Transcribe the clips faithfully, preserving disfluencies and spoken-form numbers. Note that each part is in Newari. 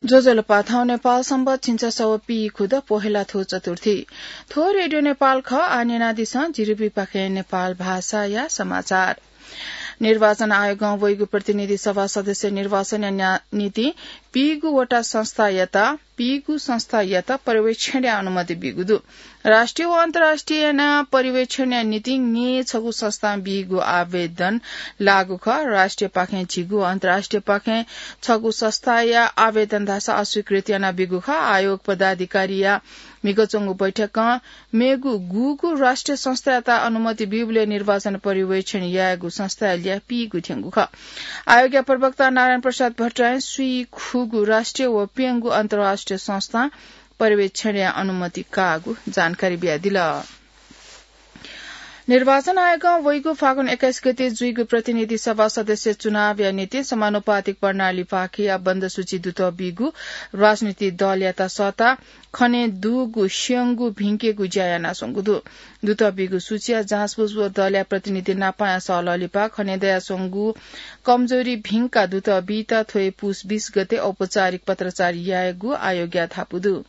ज्वजलपा, थौं नेपाल संवत् झिंछसः व पीखुद पोहेला थ्व चतुर्थी। थ्व रेडियो नेपाल खः। आः न्यनादिसँ जिरिबीपाखें नेपाल भाषाया समाचार। निर्वाचन आयोगं वइगु प्रतिनिधि सभा सदस्य निर्वाचनया न्या-, निंतिं पीगु वटा संस्थायात, पीगु संस्थायात पर्यवेक्षणया अनुमति बीगु दु। राष्ट्रिय व अन्तर्राष्ट्रिय याना पर्यवेक्षणया निंतिं छगू संस्थां बीगु आवेदन लागू खः। राष्ट्रियपाखें झिगू, अन्तर्राष्ट्रियपाखें छगू संस्थाया आवेदन धाःसा अस्वीकृत याना बीगु खः। आयोग पदाधिकारीया म्हिगः च्वंगु बैठकं मेगु गुगु राष्ट्रिय संस्थायात अनुमति बीबलय् निर्वाचन पर्यवेक्षण यायेगु संस्थाया ल्याः पीगु थ्यंगु खः। आयोगया प्रवक्ता नारायण प्रसाद भट्टराईं स्वीखुगू राष्ट्रिय व प्यंगू अन्तर्राष्ट्रिय संस्थां पर्यवेक्षणया अनुमति काःगु जानकारी बियादिल। निर्वाचन आयोगं वइगु फागुन एक्काइस गते जुइगु प्रतिनिधि सभा सदस्य चुनावया निंतिं समानुपातिक प्रणालीपाखेया बन्द सूची दुत बीगु राजनीतिक दलयात सःता खने दुगु स्यंगू भिंकेगु ज्या यानाच्वंगु दु। दुत बीगु सूचीया जाँचबुझ व दलया प्रतिनिधि नापांया सहलह लिपा खने दयाच्वंगु कमजोरी भिंका दुत बीत थ्व हे पुस बीस गते औपचारिक पत्राचार यायेगु आयोगया धापू दु।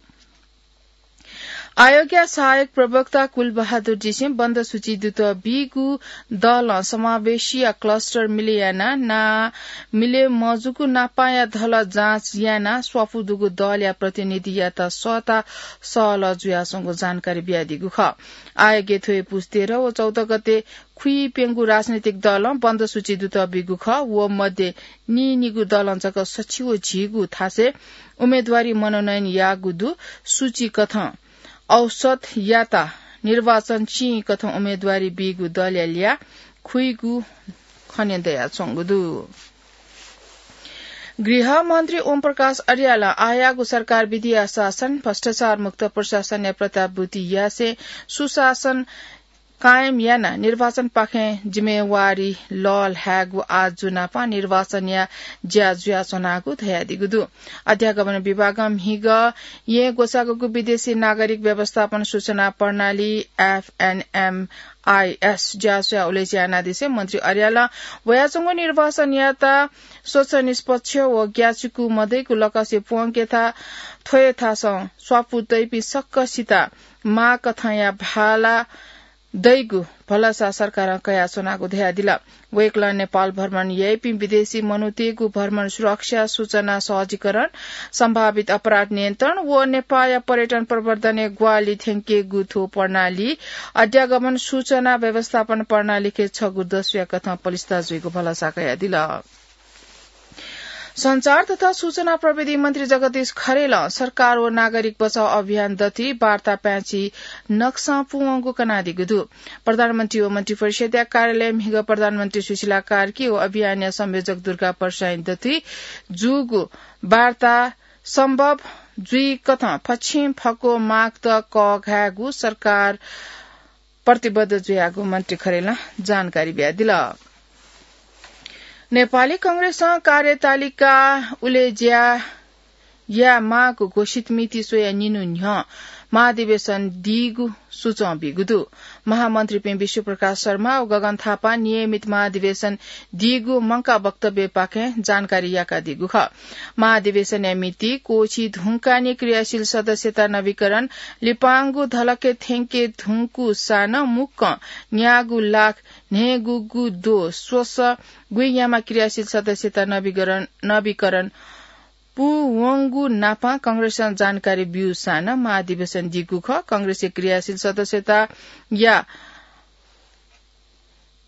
आयोगया सहायक प्रवक्ता कुलबहादुर जीसिं बन्द सूची दुत बीगु दलं समावेशीया क्लस्टर मिले याना ना मिले मजूगु नापांया धल जाँच याना स्वापू दुगु दलया प्रतिनिधियात सःता सहलह जुयाच्वंगु जानकारी बियादीगु खः। आयोगय् थ्व हे पुस तेह्र व चौध गते खुइप्यंगू राजनीतिक दलं बन्द सूची दुत बीगु खः। व मध्ये नीनिगू दलं जक सछि व झिगू थासय् उम्मेदवारी मनोनयन याःगु दु। सूची कथं औसत याता निर्वाचन चिं कथं उम्मेदवारी बीगु दलया ल्याः खुइगु खने दयाच्वंगु दु। गृह मन्त्री ओम प्रकाश अर्यालं आःयागु सरकार विधिया शासन, भ्रष्टाचार मुक्त प्रशासनया प्रत्याभूति यासें सुशासन कायम यानाः निर्वाचनपाखें जिम्मेवारी लःल्हायेगु आजु नापं निर्वाचनया ज्या जुयाच्वनागु धयादीगु दु। अध्यागमन विभागं म्हिगः येँ ग्वसाःगु विदेशी नागरिक व्यवस्थापन सूचना प्रणाली, एफएनएमआइएस, ज्याझ्वः उलेज्या यानादिसें मन्त्री अर्यालं वयाच्वंगु निर्वाचनयात स्वच्छ, निष्पक्ष व ग्याचुकु मदइगु लकसे प्वंकेत थ्वय् थासं स्वापू तइपिं सकसित माःकथंया भाला दइगु भलसा सरकारं कयाच्वनागु धयादिल। वय्कलं नेपाल भ्रमण याइपिं विदेशी मनूतय्गु भ्रमण सुरक्षा, सूचना सहजीकरण, सम्भावित अपराध नियन्त्रण व नेपाःया पर्यटन प्रवर्धनय् ग्वाहालि थ्यंकेगु थ्व प्रणाली अध्यागमन सूचना व्यवस्थापन प्रणालीके छगू दस्युया कथं पलिस्था जुइगु भलसा कयादिल। सञ्चार तथा सूचना प्रविधि मन्त्री जगदीश खरेलं सरकार व नागरिक बचाव अभियान दथुइ वार्ता प्याँचि नक्सां पूवंगु कनादीगु दु। प्रधानमन्त्री व मन्त्रिपरिषद्या कार्यालय म्हिगः प्रधानमन्त्री सुशीला कार्की व अभियानया संयोजक दुर्गा प्रसाईं दथुइ जूगु वार्ता सम्भव जुइकथं फछिं फक्व मागत कःघायेगु सरकार प्रतिबद्ध जुयागु मन्त्री खरेलं जानकारी बियादिल। नेपाली कांग्रेसं कार्यतालिका उलेज्या यायेमाःगु घोषित मिति स्वयाः निन्हु न्ह्यः महाधिवेशन दीगु सुचं बीगु दु। महामन्त्रीपिं विश्वप्रकाश शर्मा व गगन थापां नियमित महाधिवेशन दीगु मंकाः वक्तव्यपाखें जानकारी याकादीगु खः। महाधिवेशनया मिति क्वःछी धुंकाः निं क्रियाशील सदस्यता नवीकरण, लिपांगु धलखे थ्यंके धुंकूसां नं मुक्कं न्यागू लाख न्हय्गूगु द्वः स्वसः गुइयामा क्रियाशील सदस्यता नवीकरण, नवीकरण पूवंगु नापं कांग्रेसं जानकारी ब्यूसां नं महाधिवेशन दीगु खः। कांग्रेसया क्रियाशील सदस्यताया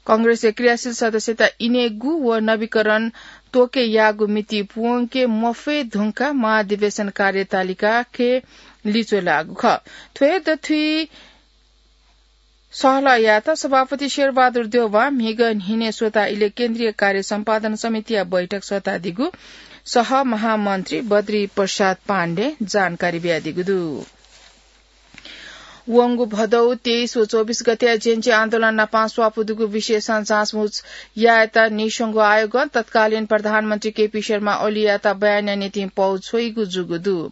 कांग्रेसया क्रियाशील सदस्यता इनेगु व नवीकरण त्वके याःगु मिति पूवंके मफये धुंकाः महाधिवेशन कार्यतालिकाके लिच्वः लाःगु खः। थ्व हे दथुइ सहलह यायेत सभापति शेरबहादुर देउवां म्हिगः न्हिनय् स्वता इलय् केन्द्रीय कार्य सम्पादन समितिया बैठक सःतादीगु सह महामन्त्री बद्री प्रसाद पाण्डें जानकारी बियादीगु दु। वंगु भदौ तेइस व चौबिस गते जेएनजी आन्दोलन नापं स्वापू दुगु विषयसं जाँचबुझ यायेत नीस्वंगू आयोगं तत्कालीन प्रधानमन्त्री केपी शर्मा ओलीयात बयानया निंतिं पौ छ्वइगु जूगु दु।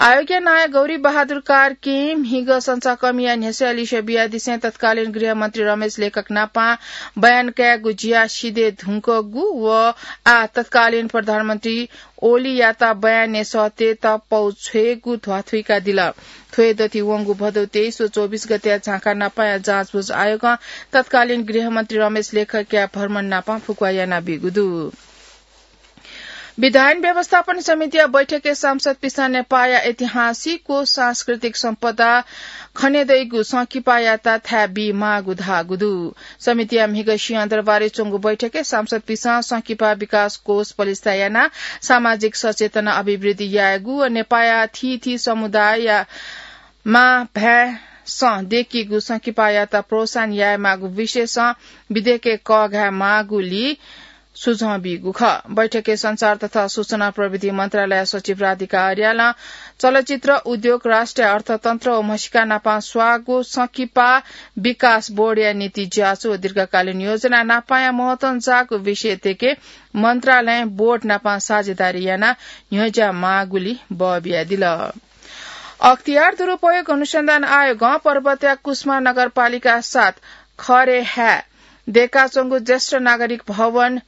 आयोगया नायः गौरी बहादुर कार्कीं म्हिगः सञ्चारकर्मीया न्ह्यसःया लिसे बियादिसें तत्कालीन गृहमन्त्री रमेश लेखक नापं बयान कायेगु ज्या सिधये धुंकूगु व आः तत्कालीन प्रधानमन्त्री ओलीयात बयानय् सःतेत पौ छ्वयेगु ध्वाथुइकादिल। थ्व हे दथि वंगु भदौ तेइस व चौबिस गते झाँक्री नापाया जाँचबुझ आयोगं तत्कालीन गृहमन्त्री रमेश लेखकया भ्रमण नापं फुक्वा यानाबीगु दु। विधायन व्यवस्थापन समितिया बैठकय् सांसदपिसं नेपाःया ऐतिहासिक व सांस्कृतिक सम्पदा खनेदइगु संकिपायात थाय् बीमाःगु धाःगु दु। समितिया म्हिगः सिंहदरबारय् च्वंगु बैठकय् सांसदपिसं संकिपा विकास कोष पलिस्था यानाः सामाजिक सचेतना अभिवृद्धि यायेगु व नेपाःया थीथी समुदायया मां भाय्‌सं दय्‌कीगु संकिपायात प्रोत्साहन यायेमाःगु विषयसं विधेयकय् कःघायेमाःगुली सुझाव बीगु खः। बैठकय् सञ्चार तथा सूचना प्रविधि मन्त्रालय सचिव राधिका अर्यालं चलचित्र उद्योग, राष्ट्रिय अर्थतन्त्र व म्हसीका नापं स्वाःगु संकिपा विकास बोर्डया नीति ज्याझ्वः व दीर्घकालीन योजना नापाया महत्वं जाःगु विषय तयेके मन्त्रालयं बोर्ड नापं साझेदारी यानाः न्ह्यज्याःमाःगुली बः बियादिल। अख्तियार दुरुपयोग अनुसन्धान आयोगं पर्वतया कुस्मा नगरपालिका सात खरे हाय् दय्‌काच्वंगु ज्येष्ठ नागरिक भवन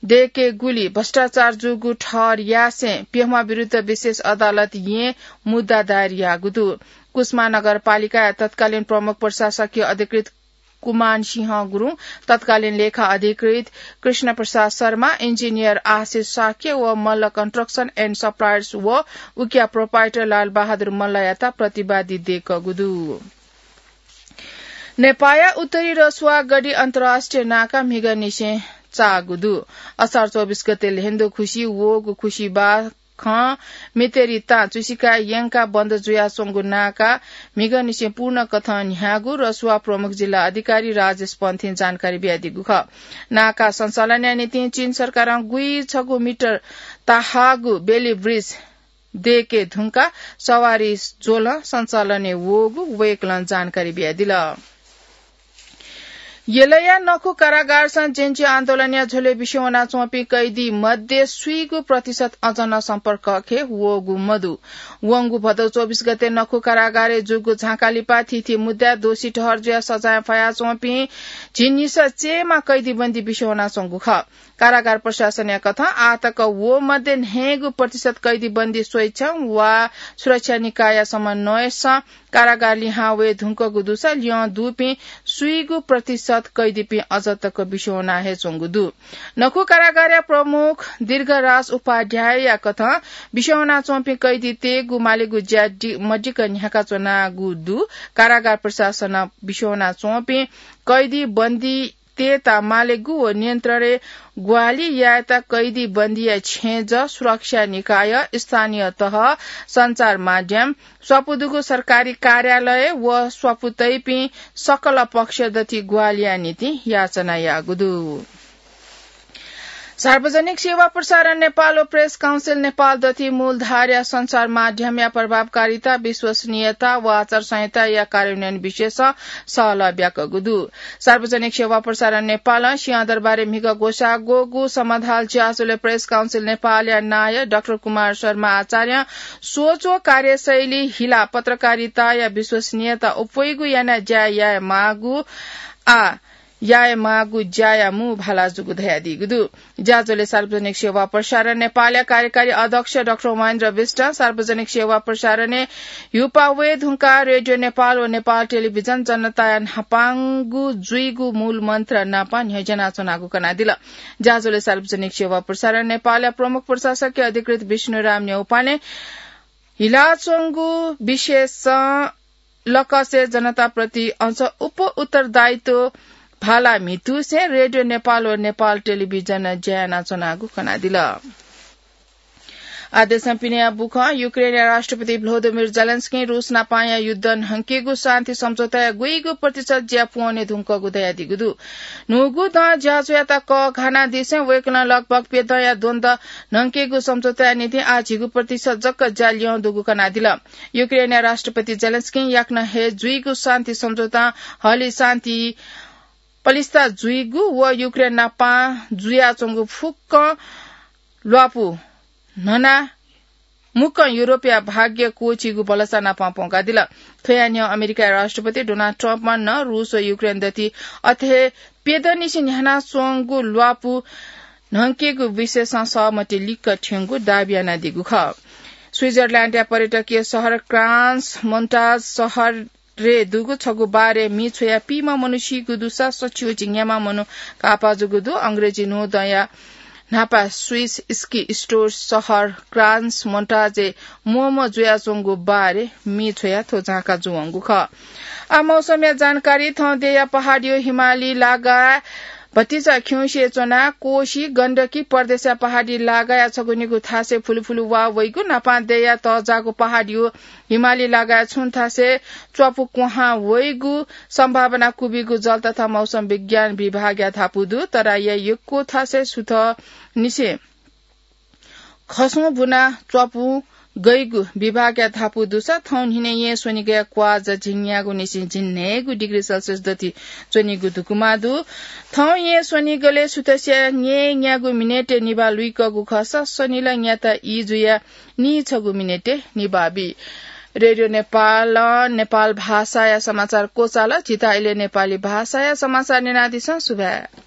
दय्‌केगुली भ्रष्टाचार जूगु ठहर यासें प्यम्ह विरुद्ध विशेष अदालत येँ मुद्दा दायर याःगु दु। कुस्मा नगरपालिकाया तत्कालीन प्रमुख प्रशासकीय अधिकृत कुमान सिंह गुरुङ, तत्कालीन लेखा अधिकृत कृष्ण प्रसाद शर्मा, इन्जिनियर आशिष शाक्य व मल्ल Construction and Suppliers व उकिया proprietor लालबहादुर मल्लयात प्रतिवादी दय्‌कूगु दु। नेपाःया उत्तरी रसुवा गढी अन्तर्राष्ट्रिय नाका म्हिगःनिसें चाःगु दु। असार चौबिस गते ल्हेन्दु खुसि वःगु खुसिबाखं मितेरी तां चुसिकाय् यंकाः बन्द जुयाच्वंगु नाका म्हिगःनिसें पूर्ण कथं न्ह्याःगु रसुवा प्रमुख जिल्ला अधिकारी राजेश पन्थीं जानकारी बियादीगु खः। नाका सञ्चालनया निंतिं चीन सरकारं गुइछगू मिटर ताहाःगु बेली ब्रिज दय्‌के धुंकाः सवारी ज्वलं सञ्चालनय् वःगु वय्‌कलं जानकारी बियादिल। यलया नखु कारागारसं जेन्जी आन्दोलनया झ्वलय् बिस्युं वनाच्वंपिं कैदी मध्ये स्वीगू प्रतिशत अझ नं सम्पर्क कक्षय् वःगु मदु। वंगु भदौ चौबिस गते नखु कारागारय् जूगु झांका लिपा थीथी मुद्दाय् दोषी ठहर जुयाः सजाय फयाच्वंपिं झिंनिसः चयेमा कैदीबन्दी बिस्युं वनाच्वंगु खः। कारागार प्रशासनया कथं आःतक व मध्ये न्हय्‌गू प्रतिशत कैदीबन्दी स्वेच्छा वा सुरक्षा निकायया समन्वयसं कारागार लिहां वये धुंकूगु दुसा ल्यं दुपिं स्वीगू प्रतिशत कैदीपिं अझ तक बिस्युं वना हे च्वंगु दु। नखु कारागारया प्रमुख दीर्घराज उपाध्यायया कथं बिस्युं वनाच्वंपिं कैदीतय्‌गु मालेगु ज्या दि-, मदिक्क न्ह्याकाच्वनागु दु। कारागार प्रशासनं बिस्युं वनाच्वंपिं कैदीबन्दी तय्‌त मालेगु व नियन्त्रणय् ग्वाहालि यायेत कैदीबन्दीया छेँजः, सुरक्षा निकाय, स्थानीय तह, सञ्चार माध्यम, स्वापू दुगु सरकारी कार्यालय व स्वापू तइपिं सकल पक्ष दथि ग्वाहालिया निंतिं याचना याःगु दु। सार्वजनिक सेवा प्रसारण नेपाल व प्रेस काउन्सिल नेपाल दथि मूलधारया सञ्चार माध्यमया प्रभावकारिता, विश्वसनीयता व आचार संहिताया कार्यान्वयन विषयसं सहलह ब्याकूगु दु। सार्वजनिक सेवा प्रसारण नेपालं सिंहदरबारय् म्हिगः ग्वसाः ग्वःगु समाधाल ज्याझ्वलय् प्रेस काउन्सिल नेपालया नायः डाक्टर कुमार शर्मा आचार्यं सोच व कार्यशैली हिलाः पत्रकारिताया विश्वसनीयता अप्वइगु यानाः ज्या यायेमाःगु आ यायेमाःगु ज्याया मू भाला जूगु धयादीगु दु। ज्याझ्वलय् सार्वजनिक सेवा प्रसारण नेपालया कार्यकारी अध्यक्ष डाक्टर महेन्द्र विष्टं सार्वजनिक सेवा प्रसारणय् ह्युपाः वये धुंकाः रेडियो नेपाल व नेपाल टेलिभिजन जनताया न्हापांगु जुइगु मूल मन्त्र नापं न्ह्यज्यानाच्वनागु कनादिल। ज्याझ्वलय् सार्वजनिक सेवा प्रसारण नेपालया प्रमुख प्रशासकीय अधिकृत विष्णुराम न्यौपाने हिलाच्वंगु विषयसं लकसे जनताप्रति अझ उप उत्तरदायित्व भाला म्हितुसे रेडियो नेपाल व नेपाल टेलिभिजन ज्या यानाच्वनागु कनादिल। आः देशं पिनेया बुखँ। युक्रेनया राष्ट्रपति भ्लोदिमिर जेलेन्स्कीं रूस नापांया युद्ध न्हंकेगु शान्ति सम्झौताया गुइगु प्रतिशत ज्या पूवने धुंकूगु धयादीगु दु। न्हूगु दँ ज्याझ्वःयात कःघानादिसें वय्कलं लगभग प्यदँया द्वन्द्व न्हंकेगु सम्झौताया निंतिं आः झिगू प्रतिशत जक ज्या ल्यं दुगु कनादिल। युक्रेनया राष्ट्रपति जेलेन्स्कीं याकनं हे जुइगु शान्ति सम्झौतां हलि शान्ति पलिस्था जुइगु व युक्रेन नापं जुयाच्वंगु फुक्कं ल्वापु न्हनाः मुक्कं युरोपया भाग्य क्वःछीगु भलसा नापं प्वंकादिल। थ्वया न्ह्यः अमेरिकाया राष्ट्रपति डोनाल्ड ट्रम्पं नं रूस व युक्रेन दथि अथे हे प्यदँनिसें न्ह्यानाच्वंगु ल्वापु न्हंकेगु विषयसं सहमति लिक्क थ्यंगु दाबी यानादीगु खः। स्विजरल्याण्डया पर्यटकीय शहर क्रान्स मोन्टाज शहरय् दुगु छगू बारय् मी छ्वयाः पीम्ह मनू सीगु दुसा सछि व झिंन्याम्ह मनू काःपा जूगु दु। अंग्रेजी न्हूदँया न्हापा स्विस स्की स्टोर शहर क्रान्स मोन्टाजय् म्वःम्वः जुयाच्वंगु बारय् मी छ्वयाः थ्व झांका जूवंगु खः। आ मौसमया जानकारी। थौं देय्‌या पहाडीयो हिमाली लागाय् भतिचा खिउँसे च्वनाः कोशी गण्डकी प्रदेशया पहाडी लागाया छगू निगू थासय् फुलुफुलु वा वइगु, न्हापां देय्‌या तःजाःगु पहाडीयो हिमाली लागाया छुं थासय् च्वापु क्वहां वइगु सम्भावना क्वबिगु जल तथा मौसम विज्ञान विभागया धापू दु। तराईया यक्व थासय् सुथंनिसें खसुं बुना च्वापु गइगु विभागया धापू दुसा थौं न्हिनय् येँ स्वनिगया क्वाःजा झिंन्यागू निसें झिंन्हय्‌गू डिग्री सेल्सियस दथि च्वनीगु धुकुमा दु। थौं येँ स्वनिगलय् सुथसिया न्यय्‌न्यागू मिनेटय् निभाः लुइकःगु खःसा सनिला न्याता ई जुयाः नीछगू मिनेटय् निभाः बी। रेडियो नेपालं नेपाल भाषाया समाचार क्वचाल। झीत इलय् नेपाली भाषाया समाचार न्यनादिसँ। सुभाय्।